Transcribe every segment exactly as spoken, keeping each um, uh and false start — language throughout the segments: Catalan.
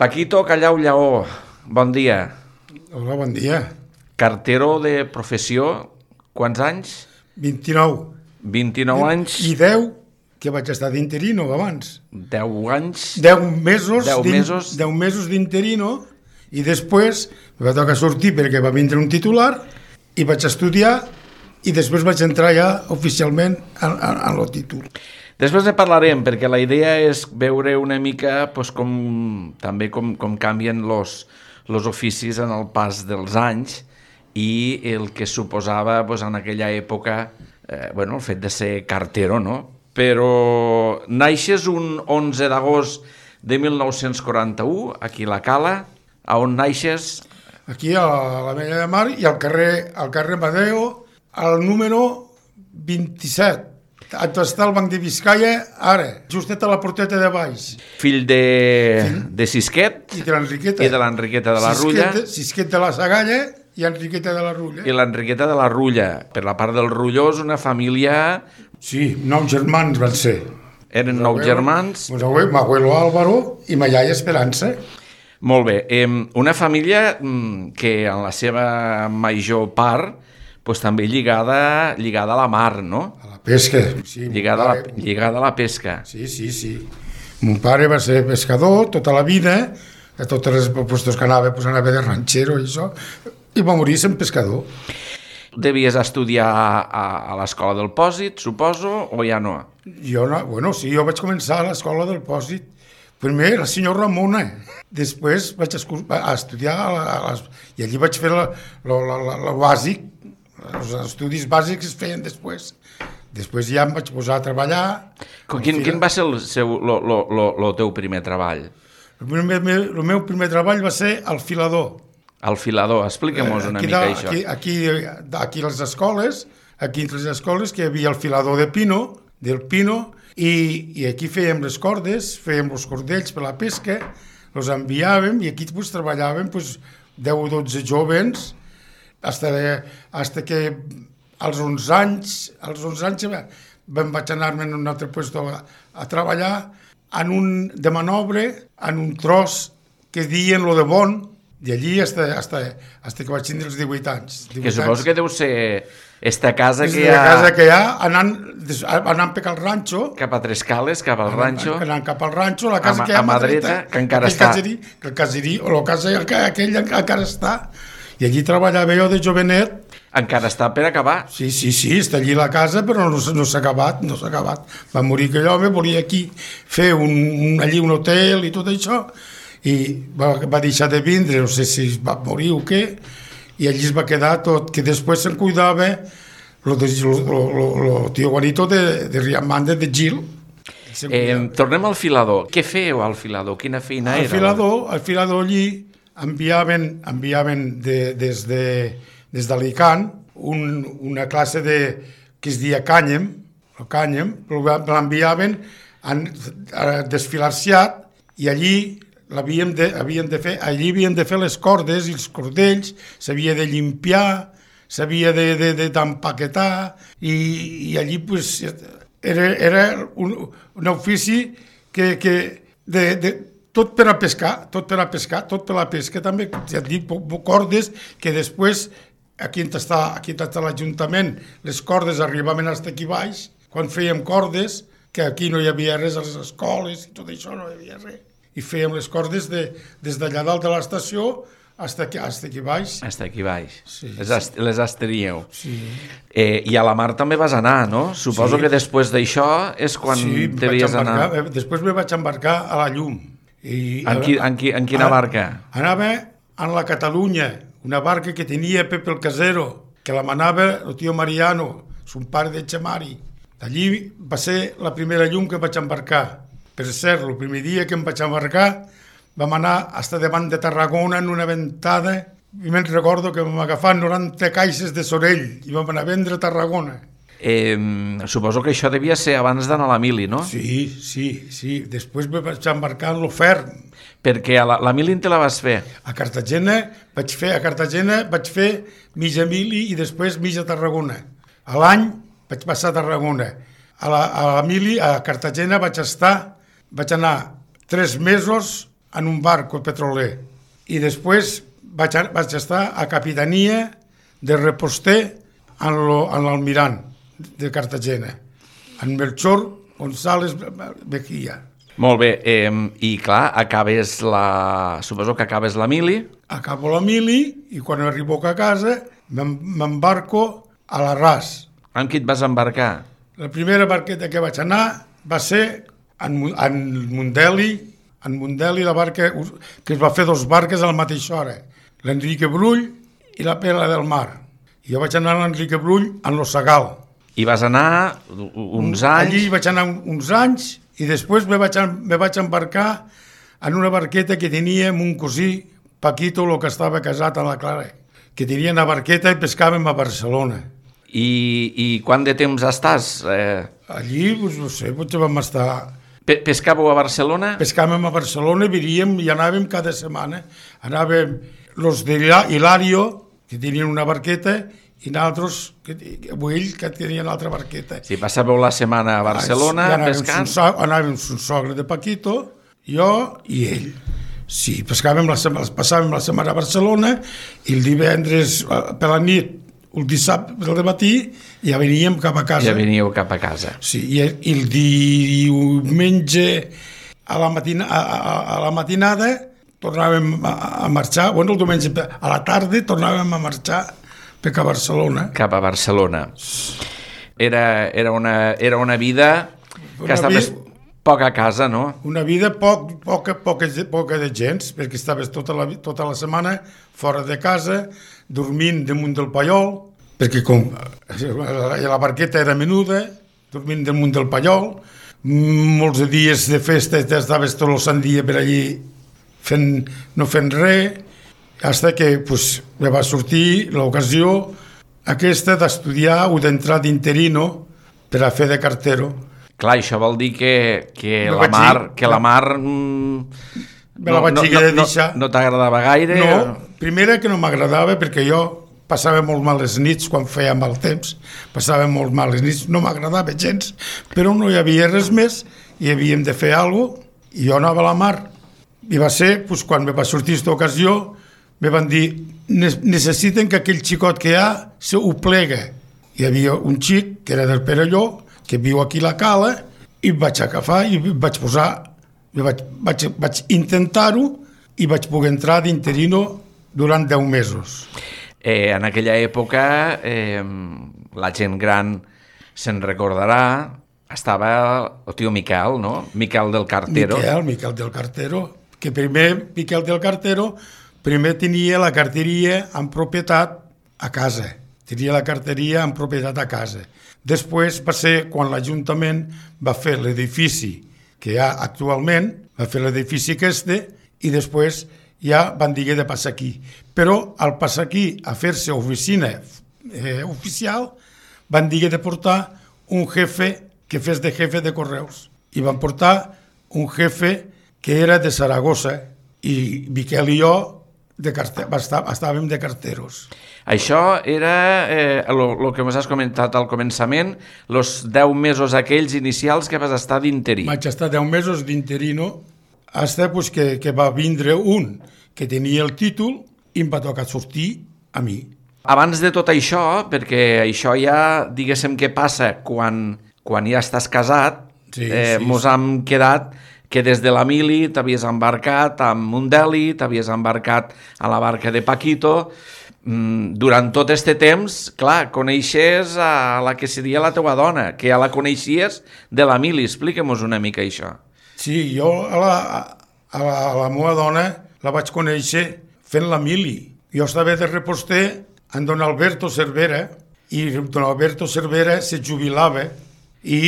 Paquito Callau Lleó, bon dia. Hola, bon dia. Cartero de professió, quants anys? vint-i-nou. vint-i-nou anys. I deu, que vaig estar d'interino abans. deu anys. deu mesos, deu mesos. deu mesos d'interino, i després me va tocar sortir perquè va vindre un titular i vaig estudiar i després vaig entrar ja oficialment en, en, en el títol. Després ne parlarem, perquè la idea és veure una mica pues, com, també com, com canvien los, los oficis en el pas dels anys i el que suposava pues, en aquella època eh, bueno, el fet de ser cartero, no? Però naixes un onze d'agost de mil nou-cents quaranta-u, aquí a la Cala. A on naixes? Aquí a la Mella de Mar i al carrer, al carrer Madeo, al número vint-i-set. On està el Banc de Biscaia, ara, justet a la porteta de baix. Fill de, de Sisquet i de l'Enriqueta. I de l'Enriqueta de la Rulla. Sisquet, Sisquet de la Sagalla i Enriqueta de la Rulla. I l'Enriqueta de la Rulla. Per la part del Rullós, una família... Sí, nou germans van ser. Eren nou germans. Mi abuelo Álvaro i ma iaia Esperança. Molt bé. Eh, una família que en la seva major part pues, també lligada, lligada a la mar, no? A la pesca. Sí, lligada, a la, lligada a la pesca. Sí, sí, sí. Mon pare va ser pescador tota la vida, a totes les puestos que anava, pues anava de ranxero i això, i va morir sent pescador. Devies estudiar a, a l'escola del Pòsit, suposo, o ja no? Jo no, bueno, sí, jo vaig començar a l'escola del Pòsit. Primer era el senyor Ramona, després vaig a estudiar a la, a les, i allí vaig fer el bàsic, els estudis bàsics es feien després. Després ja em vaig posar a treballar. Quin, quin va ser el, seu, lo, lo, lo, lo teu primer treball? El, primer, el meu primer treball va ser al filador. Al filador, explica-mos una aquí, mica aquí, això. Aquí, aquí a les escoles, aquí entre les escoles, que hi havia el filador de Pino, del Pino, i, i aquí fèiem les cordes, fèiem els cordells per la pesca, els enviàvem i aquí pues, treballàvem pues, deu o dotze jovens, hasta, hasta que als onze anys, als onze anys vam vaig anar-me en un altre lloc a, a treballar en un, de manobre, en un tros que diuen lo de bon, d'allí hasta, hasta, hasta que vaig tindre els divuit anys. divuit que suposo anys. Que deu ser esta casa que hi ha... casa que hi ha, anant, anant per al ranxo. Cap a Trescales, cap al ranxo. Anant cap al ranxo, la casa a, que hi ha a mà dreta, que encara està. Caserí, que el caserí, o la casa aquell encara està. I allí treballava jo de jovenet. Encara està per acabar. Sí, sí, sí, està allí la casa, però no, no s'ha acabat, no s'ha acabat. Va morir aquell home, volia aquí fer un, un, allí un hotel i tot això, i va, va deixar de vindre, no sé si va morir o què, i allí es va quedar tot, que després se'n cuidava el tio Juanito de, de Riamande, de Gil. Eh, tornem al filador. Què fèieu al filador? Quina feina al era? Filador, al filador allí enviaven, enviaven de, des de, des d'Alicant un, una classe de, que es deia cànyem, el cànyem, l'enviaven a, a desfilar-ciat i allí l'havíem de, havíem de fer, allí havien de fer les cordes i els cordells, s'havia de limpiar, s'havia d'empaquetar de, de, i, i allí pues, era, era un, un ofici que, que de, de, tot per a pescar, tot per a pescar, tot per a la pesca també, ja et dic, cordes que després, aquí on està, aquí on està l'Ajuntament, les cordes arribaven fins aquí baix, quan fèiem cordes, que aquí no hi havia res a les escoles i tot això, no hi havia res. I fèiem les cordes de, des d'allà dalt de l'estació fins aquí, aquí baix. Fins aquí baix. Sí, les, ast les esteríeu. Sí. Eh, I a la mar també vas anar, no? Suposo sí. que després d'això és quan sí, devies anar. Després me vaig embarcar a la llum. I en, qui, en, qui, en quina a, barca? Anava en la Catalunya, una barca que tenia Pepe el Casero, que la manava el tio Mariano, son pare de Chamari. D'allí va ser la primera llum que vaig embarcar. Per cert, el primer dia que em vaig embarcar vam anar fins davant de Tarragona en una ventada i me'n recordo que vam agafar noranta caixes de sorell i vam anar a vendre a Tarragona. Eh, suposo que això devia ser abans d'anar a la mili, no? Sí, sí, sí. Després me vaig embarcar en l'Ofern. Perquè a la, la mili te la vas fer? A Cartagena vaig fer, a Cartagena vaig fer mitja mili i després mitja Tarragona. A l'any vaig passar a Tarragona. A la, a la mili, a Cartagena vaig estar, vaig anar tres mesos en un barco petroler i després vaig, a, vaig estar a capitania de reposter en l'Almirant de Cartagena, en Melchor González Mejía. Molt bé, eh, i clar, acabes la... suposo que acabes la mili. Acabo la mili i quan arribo a casa m'embarco a la Ras. Amb qui et vas embarcar? La primera barqueta que vaig anar va ser en, en Mundeli, en Mundeli la barca que es va fer dos barques a la mateixa hora, l'Enrique Brull i la Pela del Mar. I jo vaig anar a l'Enrique Brull en lo Sagal. I vas anar uns anys... Allí vaig anar uns anys i després me vaig, me vaig embarcar en una barqueta que tenia amb un cosí, Paquito, el que estava casat a la Clara, que tenia una barqueta i pescàvem a Barcelona. I, i quant de temps estàs? Eh... Allí, doncs, no sé, potser vam estar... Pe pescàveu a Barcelona? Pescàvem a Barcelona, viríem i anàvem cada setmana. Anàvem los de Hilario, que tenien una barqueta, i nosaltres, que, ells, que tenien altra barqueta. Si passàveu la setmana a Barcelona ah, sí, pescant? So, anàvem amb un sogre de Paquito, jo i ell. Sí, pescàvem la setmana, passàvem la setmana a Barcelona i el divendres per la nit, el dissabte del matí, ja veníem cap a casa. Ja veníeu cap a casa. Sí, i el, i el diumenge a la, matina, a, a, a la matinada tornàvem a, a marxar, bueno, el diumenge a la tarda tornàvem a marxar cap a Barcelona. Cap a Barcelona. Era, era, una, era una vida que una estaves vi... poc a casa, no? Una vida poc, poca, poca, poca de gens, perquè estaves tota la, tota la setmana fora de casa, dormint damunt del pallol, perquè com la barqueta era menuda, dormint damunt del pallol, molts dies de festa estaves tot el sant dia per allí fent, no fent res, fins que pues, me va sortir l'ocasió aquesta d'estudiar o d'entrar d'interino per a fer de cartero. Clar, això vol dir que, que la mar... Dir, que la mar mm, me la vaig no, no, de deixar. No, no t'agradava gaire? No, primera que no m'agradava perquè jo passava molt males nits quan feia mal temps, passava molt males nits, no m'agradava gens, però no hi havia res més i havíem de fer alguna cosa i jo anava a la mar. I va ser, pues, quan me va sortir aquesta ocasió, me van dir, necessiten que aquell xicot que hi ha se ho plega. Hi havia un xic, que era del Perelló, que viu aquí a la Cala, i vaig agafar i vaig posar, vaig, vaig, vaig intentar-ho i vaig poder entrar d'interino durant deu mesos. Eh, en aquella època, eh, la gent gran se'n recordarà, estava el tio Miquel, no? Miquel del Cartero. Miquel, Miquel del Cartero, que primer Miquel del Cartero primer tenia la carteria en propietat a casa. Tenia la carteria en propietat a casa. Després va ser quan l'Ajuntament va fer l'edifici que hi ha actualment, va fer l'edifici aquest, i després ja van dir de passar aquí. Però al passar aquí a fer-se oficina eh, oficial, van dir de portar un jefe que fes de jefe de correus. I van portar un jefe que era de Saragossa, i Miquel i jo de carte... estàvem de carteros. Això era el eh, que m'has comentat al començament, els deu mesos aquells inicials que vas estar d'interí. Vaig estar deu mesos d'interino, fins pues, que, que va vindre un que tenia el títol i em va tocar sortir a mi. Abans de tot això, perquè això ja, diguéssim, què passa quan, quan ja estàs casat, sí, eh, sí, mos sí. hem quedat que des de la mili t'havies embarcat amb Mundeli, t'havies embarcat a la barca de Paquito. Durant tot aquest temps, clar, coneixes a la que seria la teua dona, que ja la coneixies de la mili. Explica-mos una mica això. Sí, jo a la, a la, a la meva dona la vaig conèixer fent la mili. Jo estava de reposter amb don Alberto Cervera i don Alberto Cervera se jubilava i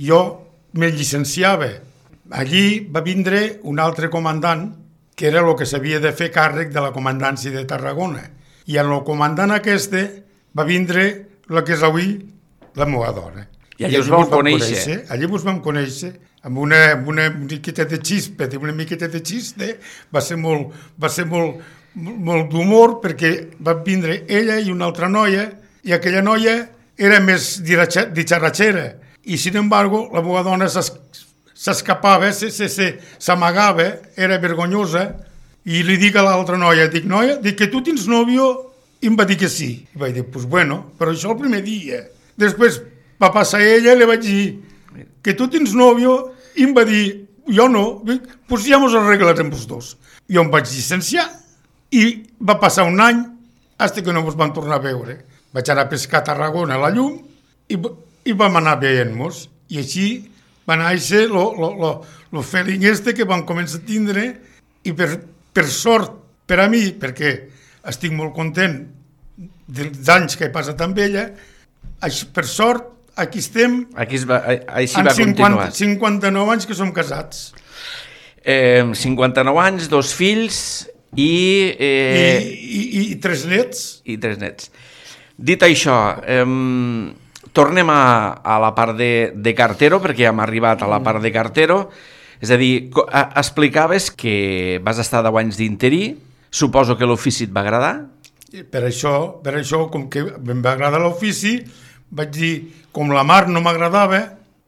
jo me llicenciava. Allí va vindre un altre comandant, que era el que s'havia de fer càrrec de la comandància de Tarragona. I en el comandant aquest va vindre el que és avui la meva dona. I allí us vau conèixer. conèixer. Allí us vam conèixer, amb una, amb una miqueta de xispa, una miqueta de xiste, va ser molt, va ser molt, molt d'humor, perquè va vindre ella i una altra noia, i aquella noia era més ditxarratxera. I, sin embargo, la meva dona s'escapava, s'amagava, era vergonyosa, i li dic a l'altra noia, dic, noia, dic que tu tens nòvio, i em va dir que sí. I vaig dir, pues bueno, però això el primer dia. Després va passar ella i li vaig dir que tu tens nòvio, i em va dir, jo no, pues ja mos arreglarem els dos. Jo em vaig llicenciar i va passar un any fins que no ens vam tornar a veure. Vaig anar a pescar a Tarragona a la llum i, i vam anar veient-nos. I així va néixer el feeling este que vam començar a tindre i per, per sort per a mi, perquè estic molt content dels anys que he passat amb ella, per sort aquí estem, aquí va, així va continuar. cinquanta-nou anys que som casats. Eh, cinquanta-nou anys, dos fills i, eh, I, i, i tres nets. I tres nets. Dit això, eh, tornem a, a la part de, de cartero, perquè ja hem arribat a la part de cartero. És a dir, explicaves que vas estar deu anys d'interí, suposo que l'ofici et va agradar? Per això, per això, com que em va agradar l'ofici, vaig dir, com la mar no m'agradava,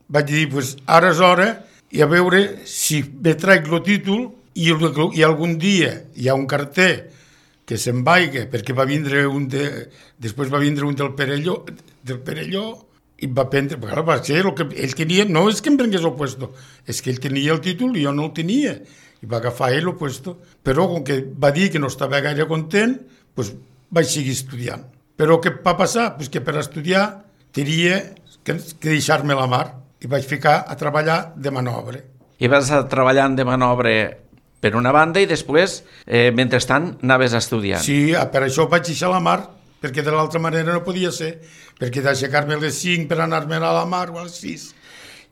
vaig dir, pues, ara és hora, i a veure si me traic el títol i, i algun dia hi ha un carter que se'n vaiga, perquè va vindre un de, després va vindre un del Perelló, del Perelló i va prendre, perquè va ser el que ell tenia, no és que em prengués el puesto, és que ell tenia el títol i jo no el tenia, i va agafar ell el puesto, però com que va dir que no estava gaire content, doncs vaig seguir estudiant. Però què va passar? Pues que per estudiar tenia que, que deixar-me la mar, i vaig ficar a treballar de manobre. I vas a treballant de manobre per una banda i després, eh, mentrestant, anaves estudiant. Sí, per això vaig deixar la mar, perquè de l'altra manera no podia ser, perquè d'aixecar-me a les cinc per anar-me a la mar o a les sis,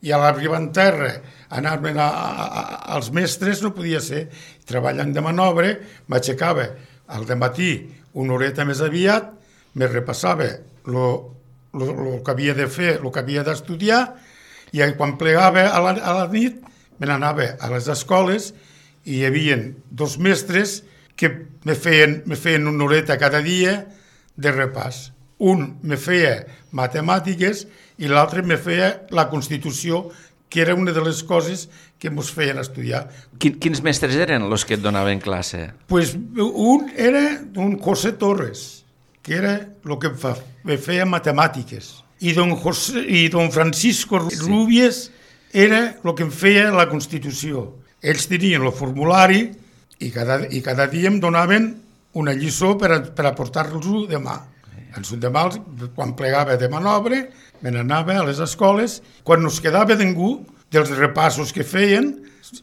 i a l'arribar en terra, anar-me als mestres no podia ser. Treballant de manobre, m'aixecava al dematí una horeta més aviat, me repassava el que havia de fer, el que havia d'estudiar, i quan plegava a la, a la nit, me n'anava a les escoles i hi havia dos mestres que me feien, me feien una horeta cada dia de repàs. Un me feia matemàtiques i l'altre me feia la Constitució, que era una de les coses que ens feien estudiar. Quins mestres eren els que et donaven classe? Pues un era un José Torres, que era el que fa, me feia matemàtiques, i don, José, i don Francisco Rubies era el que em feia la Constitució. Ells tenien el formulari i cada, i cada dia em donaven una lliçó per a, per a portar-los demà. Els demà, quan plegava de manobre, me n'anava a les escoles. Quan no es quedava ningú dels repassos que feien,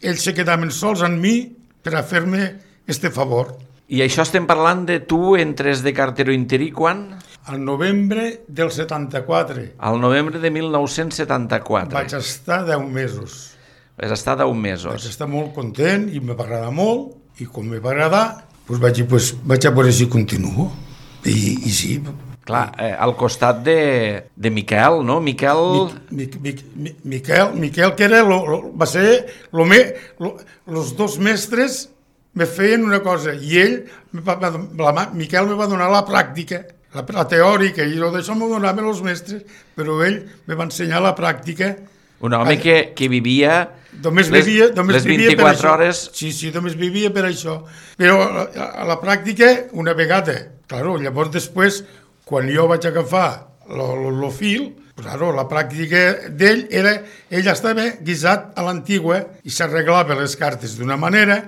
ells se quedaven sols amb mi per a fer-me este favor. I això estem parlant de tu entres de cartero interí quan? Al novembre del setanta-quatre. Al novembre de mil nou-cents setanta-quatre. Vaig estar deu mesos. Vas estar deu mesos. Vaig estar molt content i me va agradar molt, i com me va agradar, doncs vaig dir, pues, vaig a veure si continuo. I, i sí. Clar, eh, al costat de, de Miquel, no? Miquel... Mi, mi, mi, Miquel, Miquel, que era lo, lo, va ser lo me, lo, los dos mestres me feien una cosa, i ell, la, la, Miquel me va donar la pràctica, la, la teòrica, i d'això m'ho donaven els mestres, però ell me va ensenyar la pràctica. Un home que, que vivia, només les, vivia només les vint-i-quatre hores... Sí, sí, només vivia per això. Però a, a la pràctica, una vegada, claro, llavors després, quan jo vaig agafar el fil, claro, la pràctica d'ell era, ell estava guisat a l'antigua i s'arreglava les cartes d'una manera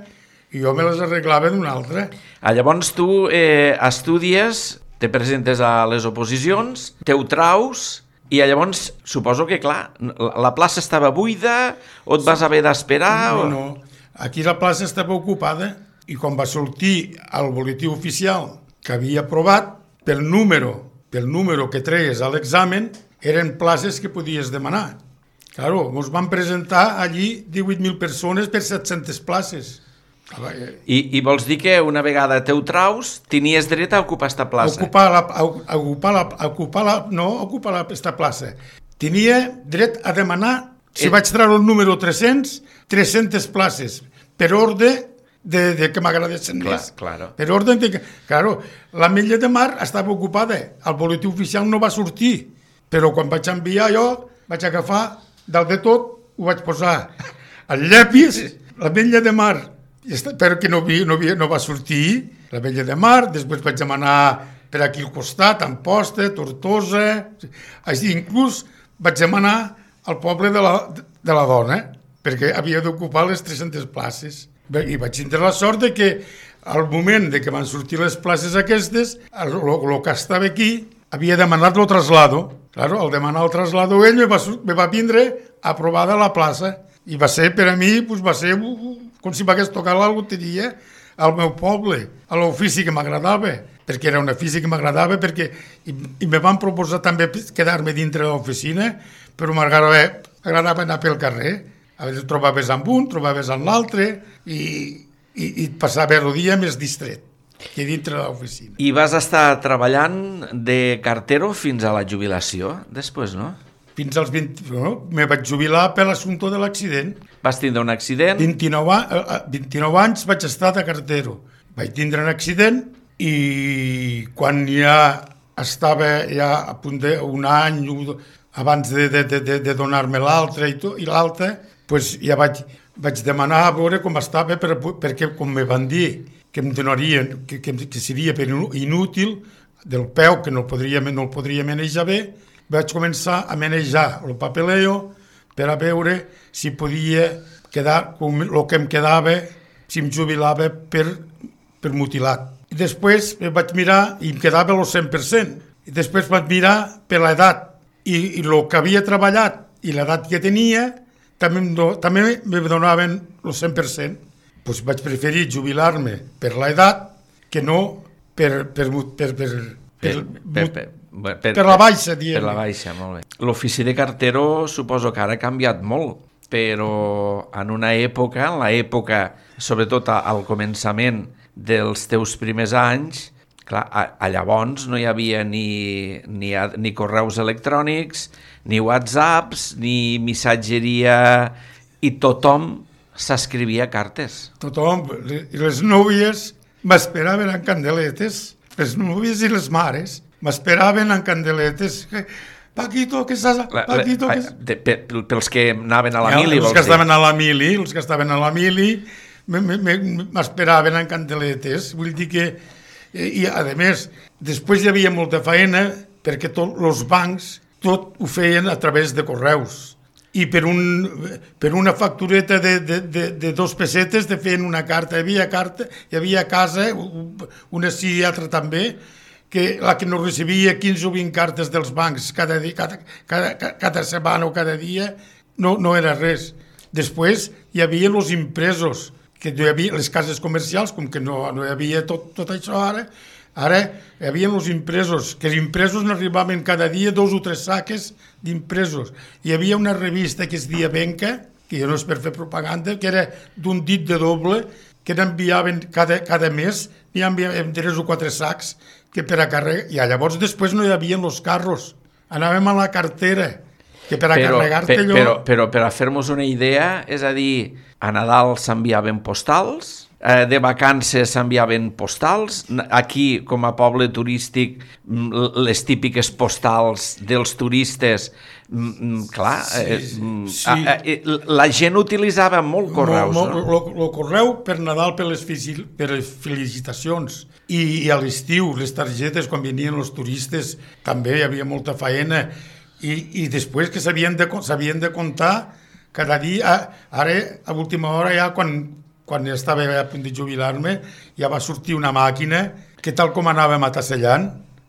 i jo me les arreglava d'una altra. Ah, llavors tu eh, estudies, te presentes a les oposicions, te ho traus... I llavors, suposo que, clar, la plaça estava buida o et vas haver d'esperar? No, no, aquí la plaça estava ocupada i quan va sortir el boletí oficial que havia aprovat, pel número, pel número que treies a l'examen, eren places que podies demanar. Claro, ens van presentar allí divuit mil persones per set-centes places. I, I vols dir que una vegada teu traus tenies dret a ocupar esta plaça? Ocupar la, a, a ocupar la, a ocupar la, no ocupar la, esta plaça. Tenia dret a demanar, si et... vaig treure el número tres-cents, tres-centes places, per ordre de, de que m'agradessin més. Claro. Per ordre de que... Claro, la Mella de Mar estava ocupada, el boletí oficial no va sortir, però quan vaig enviar jo, vaig agafar dalt de tot ho vaig posar al llapis, l'Ametlla de Mar, però que no, vi, no, vi, no va sortir, l'Ametlla de Mar, després vaig demanar per aquí al costat, Amposta, Tortosa, així inclús vaig demanar al poble de la, de la dona, perquè havia d'ocupar les tres-centes places. I vaig tindre la sort de que al moment de que van sortir les places aquestes, el, el que estava aquí havia demanat el traslado. Claro, al demanar el traslado ell me va, me va vindre aprovada la plaça. I va ser, per a mi, pues, va ser uh, com si m'hagués tocat la loteria al meu poble, a l'ofici que m'agradava, perquè era un ofici que m'agradava, perquè i, i me van proposar també quedar-me dintre de l'oficina, però m'agradava agradava anar pel carrer. A vegades trobaves amb un, trobaves amb l'altre, i, i, i passava el dia més distret que dintre de l'oficina. I vas estar treballant de cartero fins a la jubilació, després, no? Fins als vint... No, me vaig jubilar per l'assumpte de l'accident. Vas tindre un accident? vint-i-nou, vint-i-nou anys vaig estar de cartero. Vaig tindre un accident i quan ja estava ja a punt d'un any abans de, de, de, de donar-me l'altre i, i l'altre, pues ja vaig, vaig demanar a veure com estava per, perquè com me van dir que em donarien, que, que, que seria per inútil del peu, que no el podria, no el podria manejar bé, vaig començar a manejar el papeleo per a veure si podia quedar com el que em quedava, si em jubilava per, per mutilat. I després vaig mirar i em quedava el cent per cent. I després vaig mirar per l'edat i, i el que havia treballat i l'edat que tenia també, do, també me donaven el cent per cent. Pues vaig preferir jubilar-me per l'edat que no per, per, per, per, per, per, per Per, per la baixa, diem. Per la baixa, molt bé. L'ofici de cartero suposo que ara ha canviat molt, però en una època, en l'època, sobretot al començament dels teus primers anys, clar, a, a llavors no hi havia ni, ni, ni correus electrònics, ni whatsapps, ni missatgeria, i tothom s'escrivia cartes. Tothom, i les núvies m'esperaven en candeletes, les núvies i les mares, m'esperaven en candeletes. Paquito, que estàs... Paquito, que... De, pe, pels que anaven a la ja, mili, vols dir? Els que estaven a la mili, els que estaven a la mili, m'esperaven en candeletes. Vull dir que... I, a més, després hi havia molta feina perquè tots els bancs tot ho feien a través de correus. I per, un, per una factureta de, de, de, de dos pessetes te feien una carta. Hi havia carta, hi havia casa, una sí i altra també, que la que no recibia quinze o vint cartes dels bancs cada, dia, cada, cada, cada setmana o cada dia no, no era res. Després hi havia els impresos, que no hi havia les cases comercials, com que no, no hi havia tot, tot això ara, ara hi havia els impresos, que els impresos n'arribaven cada dia dos o tres saques d'impresos. Hi havia una revista que es deia Benca, que ja no és per fer propaganda, que era d'un dit de doble, que n'enviaven cada, cada mes, n'hi enviaven tres o quatre sacs, que per a carregar, i llavors després no hi havia els carros, anàvem a la cartera, que per a però, carregar-te allò... Però, però per a fer-nos una idea, és a dir, a Nadal s'enviaven postals, eh, de vacances s'enviaven postals, aquí com a poble turístic les típiques postals dels turistes, clar, sí, eh, sí. A, a, la gent utilitzava molt correus. Mo, mo, no? El correu per Nadal, per les, per les felicitacions, i, i a l'estiu, les targetes, quan venien els turistes, també hi havia molta faena, i, i després que s'havien de, s'havien de comptar cada dia. Ara, a última hora, ja quan, quan estava a punt de jubilar-me, ja va sortir una màquina que, tal com anàvem atasellant,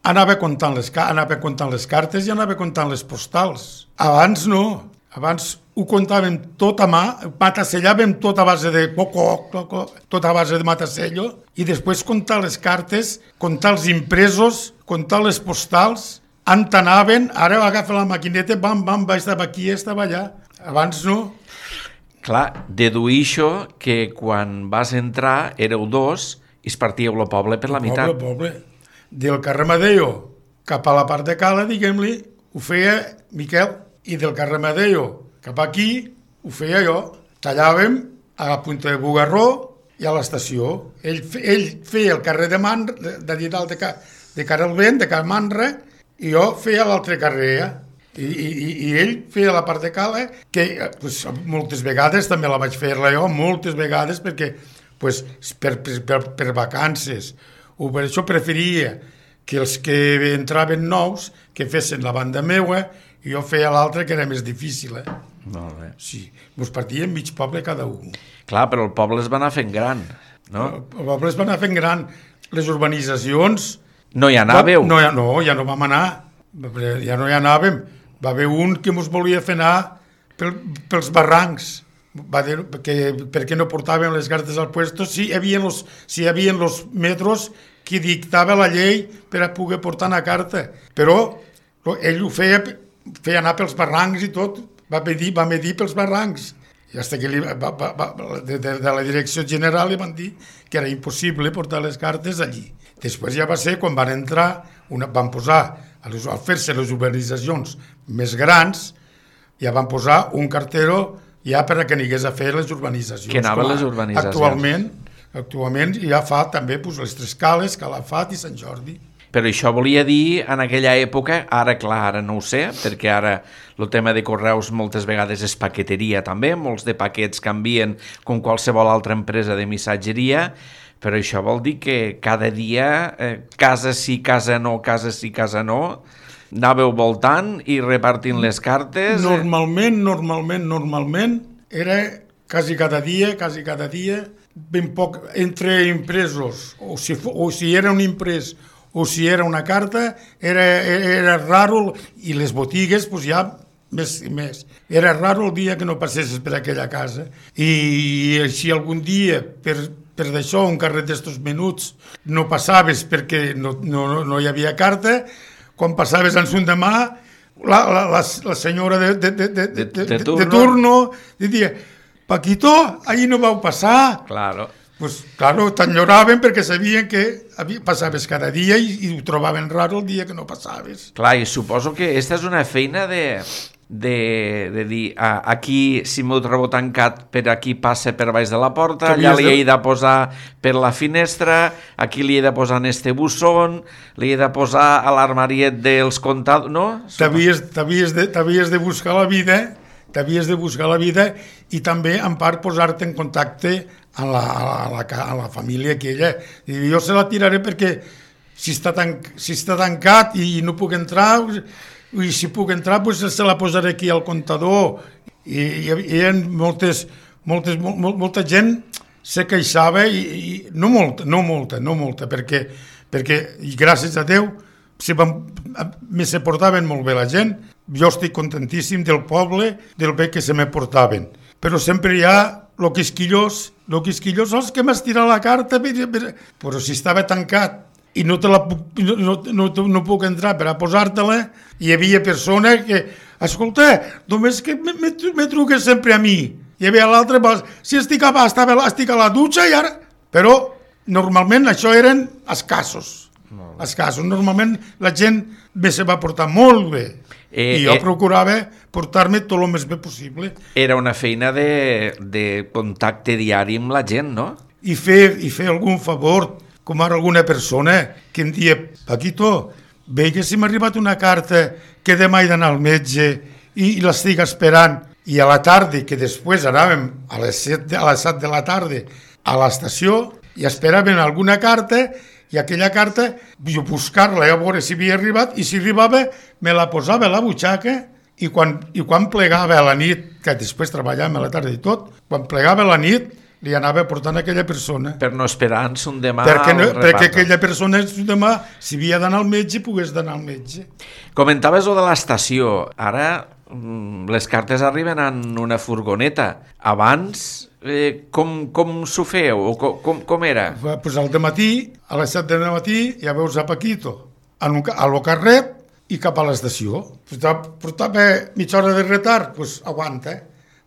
anava comptant les, anava comptant les cartes i anava comptant les postals. Abans no, abans ho comptàvem tot a mà, matasellàvem tot a base de coco, coco, tot a base de matasello, i després comptar les cartes, comptar els impresos, comptar les postals, on anaven, ara agafa la maquineta, bam, bam, estava aquí, estava allà. Abans no. Clar, deduïixo que quan vas entrar éreu dos i es partíeu el poble per la meitat. Poble, poble. Del carrer Madeo cap a la part de Cala, diguem-li, ho feia Miquel, i del carrer Madeo cap aquí ho feia jo. Tallàvem a la punta de Bugarró i a l'estació. Ell, ell feia el carrer de Manra, de, de, de, de cara al vent, de Can Manra, i jo feia l'altre carrer. I, i, i ell feia la part de cala, que pues, moltes vegades també la vaig fer-la jo, moltes vegades, perquè pues, per, per, per, per vacances, o per això preferia que els que entraven nous que fessin la banda meua i jo feia l'altra, que era més difícil. Eh? Molt bé. Sí, ens partíem mig poble cada un. Clar, però el poble es va anar fent gran, no? El poble es va anar fent gran. Les urbanitzacions... No hi anàveu? No, ja, no, ja no vam anar. Ja no hi anàvem. Va haver un que ens volia fer anar pel, pels barrancs. Va dir que, perquè no portàvem les cartes al puesto si hi havia los, si hi havia los metros que dictava la llei per a poder portar una carta. Però ell ho feia, feia anar pels barrancs i tot. Va medir, va medir pels barrancs. I fins que li, va, va, va, de, de, de la direcció general li van dir que era impossible portar les cartes allí. Després ja va ser quan van entrar, una, van posar, a les, al fer-se les urbanitzacions més grans, ja van posar un cartero ja per a que n'hi hagués a fer les urbanitzacions. Que anaven les urbanitzacions. Actualment, actualment ja fa també pues, les Tres Cales, Calafat i Sant Jordi. Però això volia dir, en aquella època, ara clar, ara no ho sé, perquè ara el tema de correus moltes vegades és paqueteria també, molts de paquets canvien com qualsevol altra empresa de missatgeria, però això vol dir que cada dia, eh, casa sí, casa no, casa sí, casa no, anàveu voltant i repartint les cartes. Normalment, normalment, normalment, era quasi cada dia, quasi cada dia, ben poc, entre impresos, o si, o si era un imprès, o si era una carta, era, era raro, i les botigues pues, ja més i més. Era raro el dia que no passessis per aquella casa. I, i si algun dia, per, per d'això, un carret d'estos menuts, no passaves perquè no, no, no hi havia carta, quan passaves en son demà, la, la, la, la senyora de, de, de, de, de, de, de, turno. de turno diria, Paquito, ahir no vau passar. Claro. Pues, claro, t'enyoraven perquè sabien que passaves cada dia i, i ho trobaven raro el dia que no passaves. Clar, i suposo que aquesta és una feina de, de, de dir, ah, aquí si m'ho trobo tancat, per aquí passa per baix de la porta, allà li he de posar per la finestra, aquí li he de posar en este bussón, li he de posar a l'armariet dels comptadors, no? T'havies, t'havies, de, t'havies de buscar la vida, t'havies de buscar la vida i també, en part, posar-te en contacte a la, a la, a la família aquella. I jo se la tiraré perquè si està, tan, si està tancat i no puc entrar, i si puc entrar, pues se la posaré aquí al comptador. I hi havia moltes, moltes, molt, molta gent se queixava, i, i no molta, no molta, no molta, perquè, perquè i gràcies a Déu, se, van, me se portaven molt bé la gent. Jo estic contentíssim del poble, del bé que se me portaven. Però sempre hi ha el quisquillós, el quisquillós, els que m'has tirat la carta, però si estava tancat i no, te la, no, no, no, no puc entrar per a posar-te-la, hi havia persona que, escolta, només que me, me, me truques sempre a mi. Hi havia l'altre, si estic a, estava, estic a la dutxa i ara... Però normalment això eren escassos. Escassos. Normalment la gent me se va portar molt bé. Eh, I jo eh, procurava portar-me tot el més bé possible. Era una feina de, de contacte diari amb la gent, no? I fer, i fer algun favor, com ara alguna persona que em dia, Paquito, ve que si m'ha arribat una carta que demà he d'anar al metge i, i l'estic esperant, i a la tarda, que després anàvem a les set, a les set de la tarda a l'estació i esperaven alguna carta, i aquella carta, jo buscar-la a veure si havia arribat, i si arribava me la posava a la butxaca, i quan, i quan plegava a la nit, que després treballàvem a la tarda i tot, quan plegava a la nit li anava portant a aquella persona. Per no esperar-se un demà perquè, no, perquè aquella persona un demà, si havia d'anar al metge, pogués d'anar al metge. Comentaves o de l'estació, ara les cartes arriben en una furgoneta. Abans, eh, com, com s'ho feu? O com, com, com era? Pues al dematí, a les set del matí, ja veus a Paquito en un, a lo carret i cap a l'estació. Portava, portava mitja hora de retard, pues aguanta.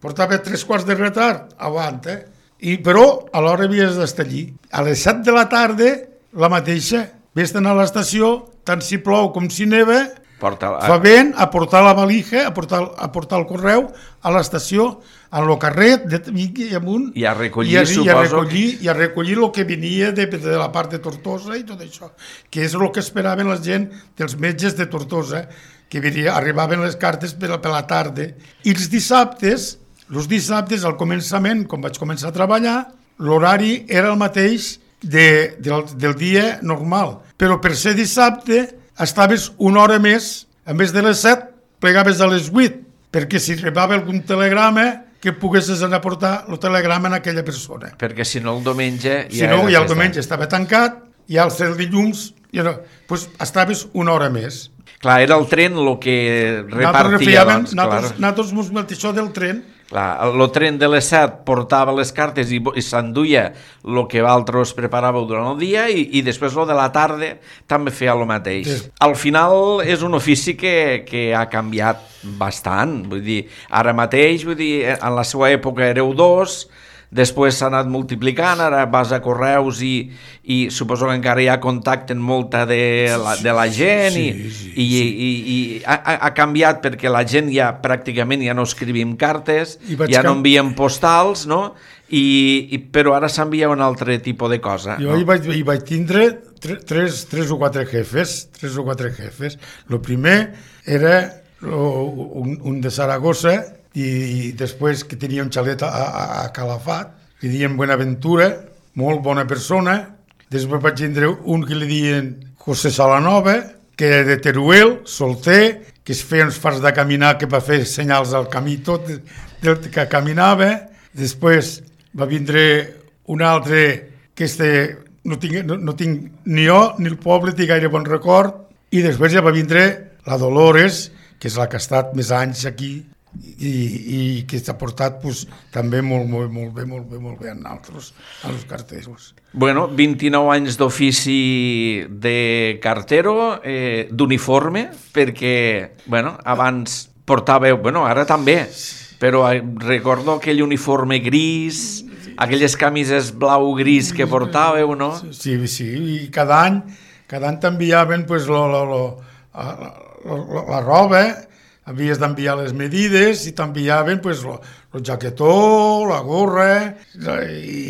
Portava tres quarts de retard, aguanta. I, però a l'hora havies d'estar allí. A les set de la tarda, la mateixa. Ves d'anar a l'estació, tant si plou com si neva, Porta... Fa vent a portar la valija, a portar, a portar el correu a l'estació, a lo carret, de, i amunt, I a recollir, i a, suposo... I a recollir, que... i a recollir el que venia de, de la part de Tortosa i tot això, que és el que esperaven la gent dels metges de Tortosa, que venia, arribaven les cartes per, per la tarda. I els dissabtes, els dissabtes, al començament, quan vaig començar a treballar, l'horari era el mateix de, del, del dia normal, però per ser dissabte estaves una hora més, a més de les set, plegaves a les vuit, perquè si arribava algun telegrama, que poguessis anar a portar el telegrama a aquella persona. Perquè si no el diumenge... Ja si no, ja el diumenge estava tancat, i al ser el dilluns, ja no, doncs estaves una hora més. Clar, era el tren el que repartia, doncs, clar. Nosaltres ens metíem això del tren. Clar, el tren de les set portava les cartes i, i s'enduia el que vosaltres preparàveu durant el dia i, i després el de la tarda també feia el mateix. Sí. Al final és un ofici que, que ha canviat bastant, vull dir, ara mateix, vull dir, en la seva època éreu dos, després s'ha anat multiplicant, ara vas a correus i, i suposo que encara hi ha contacte amb molta de la, de la gent sí, i, sí, i, sí. i, i ha, ha canviat perquè la gent ja pràcticament ja no escrivim cartes, ja no enviem postals, no? I, i, però ara s'envia un altre tipus de cosa. Jo no? hi, vaig, hi vaig tindre tres, tres o quatre jefes, tres o quatre jefes. El primer era un, un de Saragossa, i, i després que tenia un xalet a, a, a Calafat, li diem Buenaventura, molt bona persona. Després vaig tindre un que li diuen José Salanova, que era de Teruel, solter, que es feia uns fars de caminar, que va fer senyals al camí tot, del que caminava. Després va vindre un altre que este, no, tinc, no, no tinc ni jo ni el poble té gaire bon record, i després ja va vindre la Dolores, que és la que ha estat més anys aquí, i, i que s'ha portat pues, també molt, molt, molt bé, molt bé, molt bé a nosaltres, a els carteros. Bueno, vint-i-nou anys d'ofici de cartero, eh, d'uniforme, perquè, bueno, abans portàveu, bueno, ara també, però recordo aquell uniforme gris, aquelles camises blau-gris que portàveu, no? Sí, sí, i cada any, cada any t'enviaven pues, lo, lo, lo, la, la, la roba, havies d'enviar les medides i t'enviaven pues, el jaquetó, la gorra, i,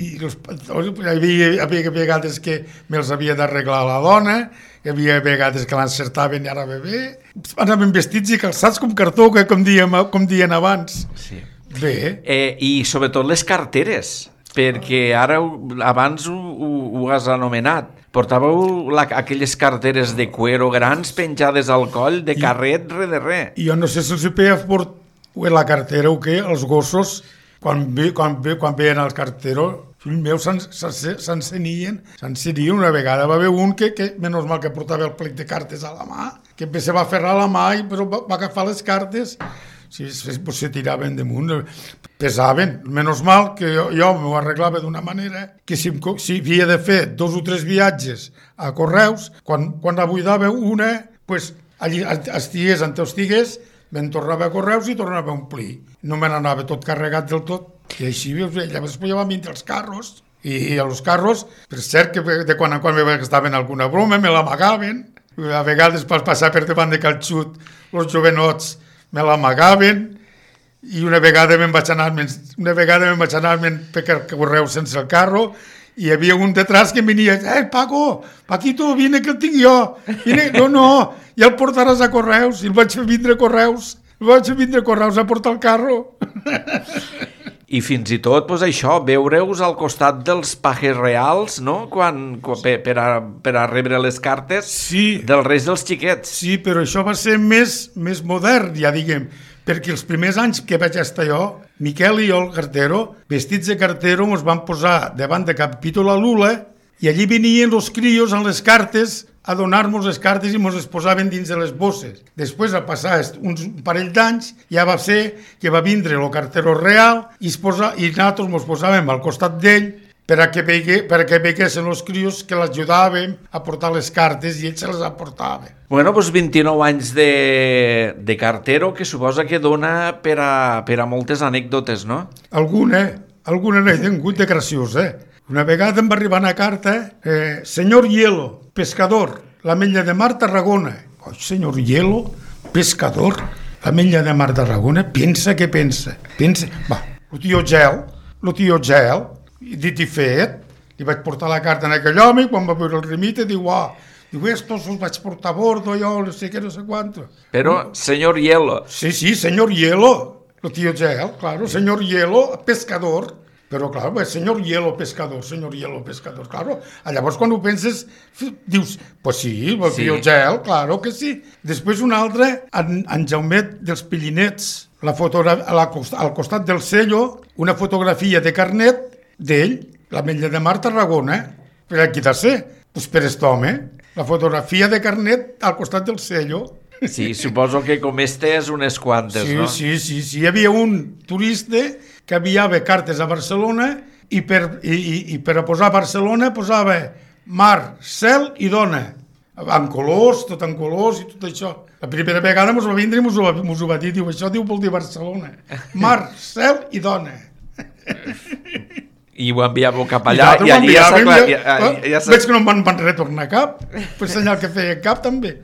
i els, hi havia, hi havia vegades que me'ls havia d'arreglar la dona, hi havia vegades que l'encertaven i ara bé bé. Anaven vestits i calçats com cartó, que com, diem, com dien abans. Sí. Bé. Eh, I sobretot les carteres, perquè ara abans ho, ho, ho has anomenat. Portàveu la, aquelles carteres de cuero grans penjades al coll de carret re de re. I jo no sé si els feia fort la cartera o què, els gossos, quan, ve, quan, ve, quan veien el cartero, fill meu, s'encenien, s'encenien. Una vegada va haver un que, que, menys mal que portava el plec de cartes a la mà, que se va aferrar a la mà i però va, va agafar les cartes, si se, se tiraven damunt, pesaven. Menys mal que jo, jo m'ho arreglava d'una manera que si, si havia de fer dos o tres viatges a correus, quan, quan la buidava una, pues, allí estigués on estigués, me'n tornava a correus i tornava a omplir. No me n'anava tot carregat del tot. I així, llavors ja van vindre els carros. I, i els carros, per cert, que de quan en quan me gastaven alguna broma, me l'amagaven. A vegades per passar per davant de Cal Xut, els jovenots me l'amagaven, i una vegada me'n vaig anar, una vegada me'n vaig anar per correu sense el carro, i hi havia un detrás que em venia, eh, Paco, Paquito, vine que el tinc jo, vine, no, no, ja el portaràs a correus, i el vaig fer vindre a correus, el vaig fer vindre a correus a portar el carro. I fins i tot, pues, això, veure-us al costat dels pajes reals, no?, quan, quan, per, per, a, per a rebre les cartes sí, dels reis dels xiquets. Sí, però això va ser més, més modern, ja diguem, perquè els primers anys que vaig estar jo, Miquel i jo, el cartero, vestits de cartero, ens van posar davant de Capítol a Lula, i allí venien els crios amb les cartes a donar-nos les cartes i ens les posaven dins de les bosses. Després, a passar uns parell d'anys, ja va ser que va vindre el cartero real i, es posa, i nosaltres ens posàvem al costat d'ell per a que, vegue, per a que veguessin els crios que l'ajudàvem a portar les cartes i ell se les aportava. Bueno, doncs vint-i-nou anys de, de cartero que suposa que dona per a, per a moltes anècdotes, no? Alguna, alguna n'he tingut de graciosa, eh? Una vegada em va arribar una carta, eh, senyor Hielo, pescador, l'Ametlla de Mar, Tarragona. Oh, senyor Hielo, pescador, l'Ametlla de Mar d'Arragona, pensa que pensa. Pensa... Va, el tio Gel, el tio Gel, dit i fet, li vaig portar la carta a aquell home i quan va veure el remite diu, ah, diu, estos els vaig portar a bordo, jo no sé què, no sé quanto. Però, senyor Hielo... Sí, sí, senyor Hielo, el tio Gel, claro, senyor Hielo, pescador. Però, clar, pues, senyor Hielo, pescador, senyor Hielo, pescador, claro. Llavors, quan ho penses, dius, pues sí, el Sí. tio Gel, claro que sí. Després un altre, en, en Jaumet dels Pillinets, la fotogra a la, al costat del cello, una fotografia de carnet d'ell, l'Ametlla de Mar Tarragona, per aquí de ser, pues per aquest home, la fotografia de carnet al costat del cello. Sí, suposo que com este és unes quantes, Sí, no? sí, sí, sí, hi havia un turista que enviava cartes a Barcelona i per, i, i, i per a posar a Barcelona posava mar, cel i dona, en colors, tot en colors i tot això. La primera vegada mos va vindre i mos ho, mos ho va dir, diu, això diu vol dir Barcelona. Mar, cel i dona. I ho enviàveu cap allà i, I allí ja s'ha... ja, Ja, ja, ja veig que no em van, van retornar cap, per senyal que feia cap també.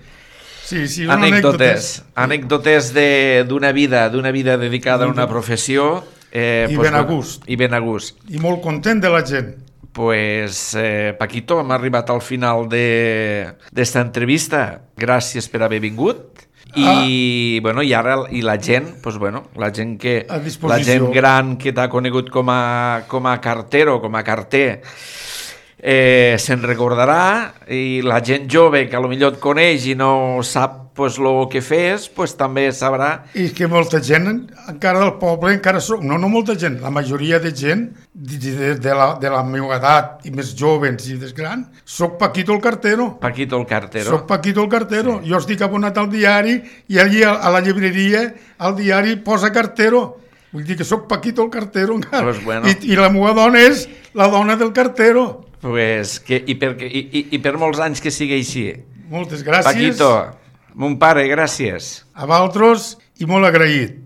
Sí, sí, són anècdotes, anècdotes de- d'una vida, d'una vida dedicada a una professió. Eh, I pues, ben a bueno, gust. I ben a gust. I molt content de la gent. Pues, eh, Paquito, hem arribat al final d'esta entrevista. Gràcies per haver vingut. I, ah. bueno, i ara i la gent, pues, bueno, la gent que A la disposició. gent gran que t'ha conegut com a, com a cartero, com a carter, eh, se'n recordarà, i la gent jove que potser et coneix i no sap pues, lo que fes, pues, també sabrà. I que molta gent, encara del poble, encara soc, no, no molta gent, la majoria de gent de, de, de, la, de la meva edat i més jovens i més grans, soc Paquito el cartero. Paquito el cartero. Soc Paquito el cartero. Sí. Jo estic abonat al diari i allí a, a la llibreria, al diari posa cartero. Vull dir que soc Paquito el cartero encara. Pues bueno. I, I la meva dona és la dona del cartero. Pues que, i, per, i, i, I per molts anys que sigui així. Moltes gràcies. Paquito, mon pare, gràcies. A vosaltres i molt agraït.